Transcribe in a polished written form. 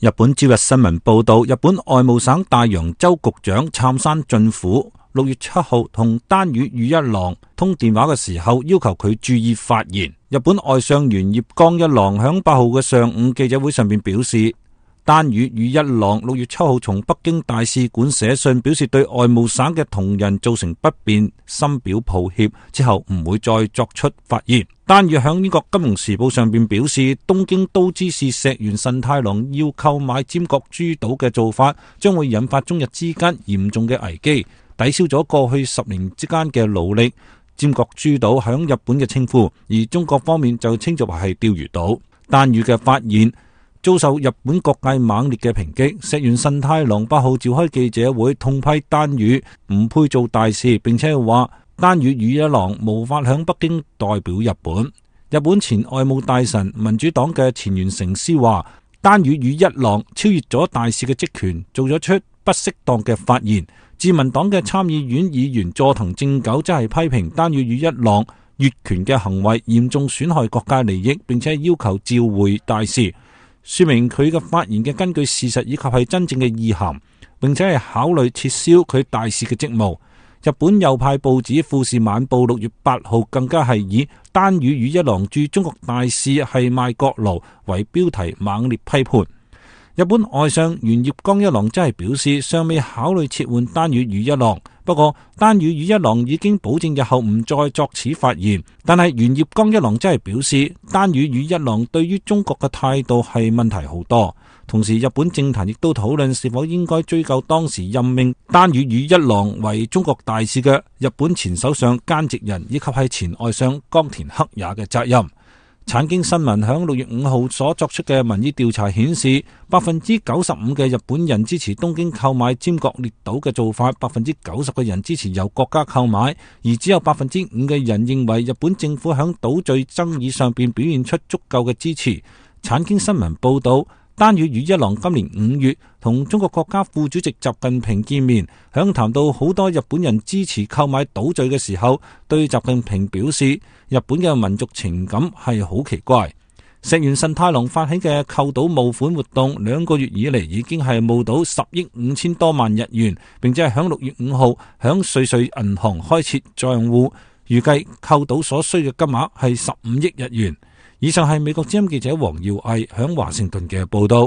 日本朝日新聞報道，日本外務省大洋洲局長杉山俊虎6月7號同丹羽宇一郎通電話嘅時候，要求佢注意發言。日本外相原葉剛一郎響8號嘅上午記者會上面表示，丹羽宇一郎6月7號從北京大使館寫信表示對外務省嘅同仁造成不便，深表抱歉，之後唔會再作出發言。丹羽響英國金融時報上邊表示，東京都知事石原慎太郎要購買尖閣諸島嘅做法，將會引發中日之間嚴重嘅危機，抵消咗過去10年之間嘅努力。尖閣諸島響日本嘅稱呼，而中國方面就稱作係釣魚島。丹羽嘅發言遭受日本各界猛烈嘅抨擊，石原慎太郎8號召開記者會痛批丹羽唔配做大使，並且話丹羽宇一郎無法響北京代表日本。日本前外務大臣民主黨嘅前原誠司話，丹羽宇一郎超越咗大使嘅職權，做咗出不適當嘅發言。自民黨嘅參議院議員佐藤正久則係批評丹羽宇一郎越權嘅行為嚴重損害國家利益，並且要求召回大使，說明佢嘅發言嘅根據事實以及係真正嘅意涵，並且係考慮撤銷佢大使嘅職務。日本右派報紙富士晚報6月8號更加係以丹羽宇一郎駐中國大使係賣國奴為標題猛烈批判。日本外相原葉剛一郎真係表示尚未考慮撤換丹羽宇一郎，不過丹羽宇一郎已經保證日後唔再作此發言。但係原葉剛一郎真係表示丹羽宇一郎對於中國嘅態度係問題好多。同時日本政壇亦都討論是否應該追究當時任命丹羽宇一郎為中國大使嘅日本前首相菅直人以及係前外相岡田克也嘅責任。產經新聞響6月5號所作出嘅民意調查顯示，95%嘅日本人支持東京購買尖閣列島嘅做法，90%嘅人支持由國家購買，而只有5%嘅人認為日本政府響島嶼爭議上邊表現出足夠嘅支持。產經新聞報道，丹羽宇一郎今年5月同中國國家副主席習近平見面，響談到好多日本人支持購買島嶼嘅時候，對習近平表示日本嘅民族情感係好奇怪。石原慎太郎發起嘅購島募款活動2個月以嚟已經係募到10億5千多萬日元，並且係響6月5號響瑞穗銀行開設賬戶，預計購島所需嘅金額係15億日元。以上係美國之音記者黃耀毅響華盛頓嘅報道。